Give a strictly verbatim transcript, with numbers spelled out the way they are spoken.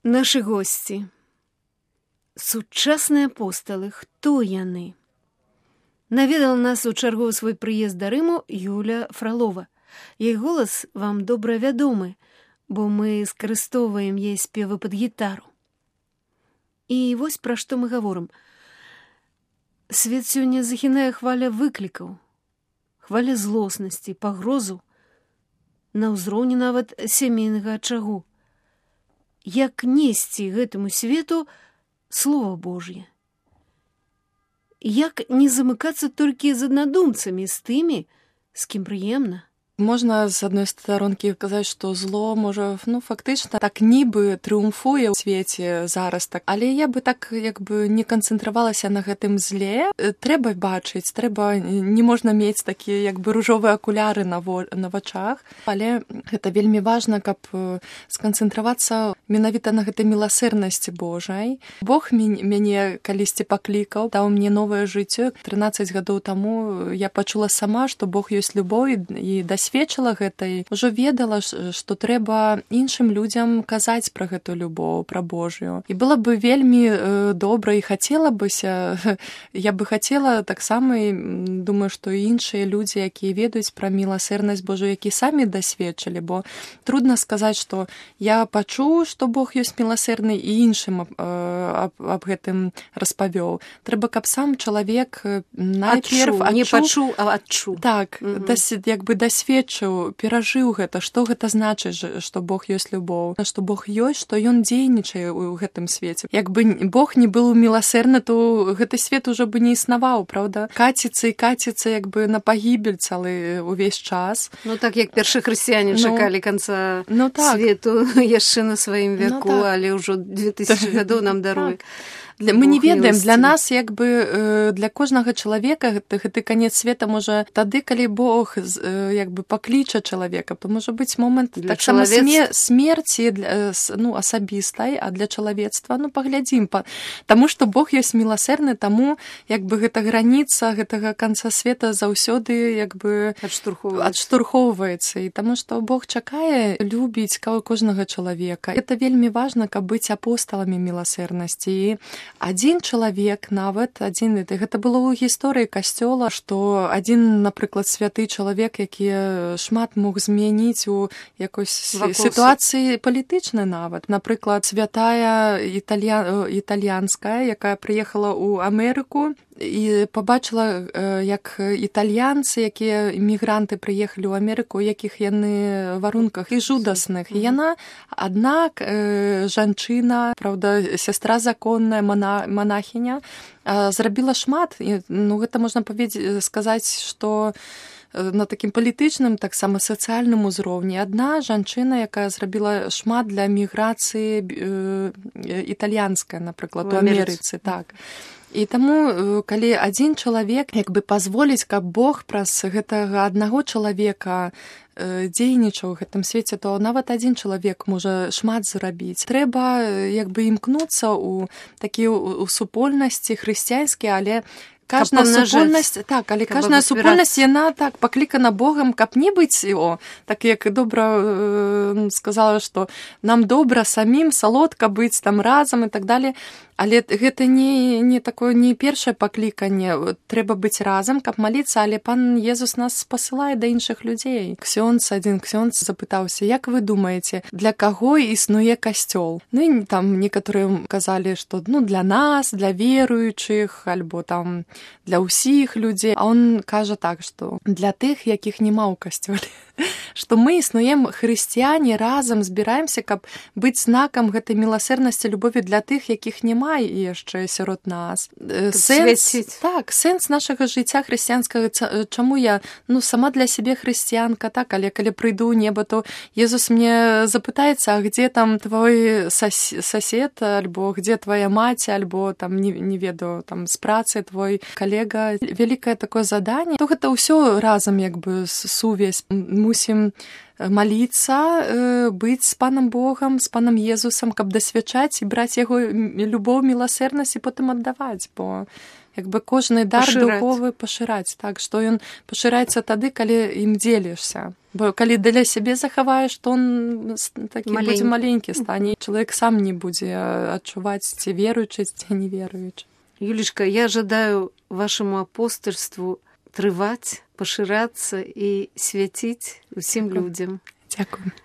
Нашы госці. Сучасныя апосталы. Хто яны? Наведала нас у чаргу свой прыезд да Рыму Юля Фролова. Яй голас вам добра вядомы, бо мы скарыстоўваем яе спевы пад гітару. І вось пра што мы гаворым. Свет сёння захінае хваля выклікаў, хваля злоснасці, пагрозу, на ўзроўні нават сямейнага ачагу. Як несці гэтаму свету Слова Божье? Як не замыкацца толькі з аднадумцамі, з тымі, з кім прыемна? Можна з адной старонкі казаць, што зло можа, ну, фактычна так нібы трыумфуе ў свеце зараз, так. Але я бы так як бы не канцэнтравалася на гэтым зле. Трэба бачыць, трэба, не можна мець такія як бы ружовыя акуляры на, во, на вачах, але гэта вельмі важна, каб сканцэнтравацца менавіта на гэтай міласэрнасці Божай. Бог мяне калісьці паклікаў, даў мне новае жыццё. трынаццаць гадоў таму я пачула сама, што Бог ёсць любоў і да сведчыла гэтай, ужо ведала, што трэба іншым людзям казаць пра гэту любоў, пра Божую. І было бы вельмі э, добра і хацела быся, я бы хацела таксама, думаю, што і іншыя людзі, якія ведаюць пра міласэрнасць Божую, які самі дасведчылі, бо трудна сказаць, што я пачуў, што Бог ёсць міласэрны і іншым э, аб, аб гэтым распавёў. Трэба, каб сам чалавек найперв адчуў, не пачуў, а адчуў. Так, угу. дас, як бы дасведчыў, перажыў гэта, што гэта значыць, што Бог ёсць любоў, што Бог ёсць, што ён дзейнічае ў гэтым свеце. Як бы Бог не быў міласэрны, то гэты свет ужо бы не існаваў, правда? Каціцца і каціцца як бы на пагібель цэлы ўвесь час. Ну так, як першы хрысціяне ну, чакалі канца ну, так. свету яшчэ на сваім веку, ну, так. але ўжо две тысячы гадоў нам даруе. Так. Для, мы не ведаем, для нас як бы для кожнага чалавека гэты, гэты канец света можа тады, калі Бог як бы пакліча чалавека, то можа быць момант таксама чалавец... смерці для, ну, асабістай, а для чалавецтва, ну паглядзім, па... таму што Бог ёсць міласэрны, таму як бы гэта граніца гэтага канца света заўсёды як бы адштурхоўваецца. адштурхоўваецца, і таму што Бог чакае любіць кожнага чалавека. Гэта вельмі важна, каб быць апосталамі міласэрнасці. І адзін чалавек нават, адзін, гэта было ў гісторыі касцёла, што адзін, напрыклад, святы чалавек, які шмат мог змяніць у якой сітуацыі палітычнай нават. Напрыклад, святая італья... італьянская, якая прыехала ў Амерыку і пабачыла, як італьянцы, якія мігранты прыехалі ў Амерыку, у якіх яны варунках і жудасных. І яна, аднак, жанчына, правда, сястра законная, мана, манахіня, зрабіла шмат. І, ну, гэта можна паведзі, сказаць, што на такім палітычным, таксама сацыяльным узроўні. Адна жанчына, якая зрабіла шмат для міграцыі э, італьянская, напрыклад, у Амерыцы. Так. І таму, калі адзін чалавек як бы пазволіць, каб Бог праз гэтага аднаго чалавека дзейнічаў у гэтым свеце, то нават адзін чалавек можа шмат зрабіць. Трэба як бы імкнуцца ў такія ў супольнасці хрысціянскія, але кожная супольнасць, так, але кожная супольнасць, яна так паклікана Богам, каб не быць, о, так як добра э, сказала, што нам добра самім, салодка быць там разам і так далее. Але гэта не, не такое, не першае пакліканне. Трэба быць разам, каб маліцца, але пан Езус нас пасылае да іншых людзей. Ксёндз, адзін ксёндз запытаўся, як вы думаеце, для каго існуе касцёл? Ну і там некаторыя казалі, што ну для нас, для веруючых, альбо там для ўсіх людзей. А он кажа так, што для тых, якіх няма ў касцёле. Што мы існуем хрысціяне, разам збіраемся, каб быць знакам гэтай міласэрнасці, любові для тых, якіх няма яшчэ сярод нас. Сэнс, так, сэнс нашага жыцця хрысціянскага, чаму я, ну, сама для сябе хрысціянка, так, але калі прыйду ў неба, то Езус мне запытаецца, а где там твой сосед, альбо где твоя маці, альбо там, не, не ведаю, там, з працы твой калега. Вялікае такое заданне, то гэта ўсё разам, як бы, сувязь. Мусім маліцца, быць з панам Богам, з панам Езусам, каб дасвячаць і браць яго любоў, міласэрнасць і потым аддаваць, бо як бы кожны дар духовы пашыраць, так, што ён пашыраецца тады, калі ім дзелішся. Бо калі для сябе захаваеш, то он такі Маленькі. будзе маленькі стане. Чалавек сам не будзе адчуваць, ці веруючы, ці не веруючы. Юлечка, я жадаю вашему апостольству трываць, пашырацца і свяціць усім людзям. Дзякую.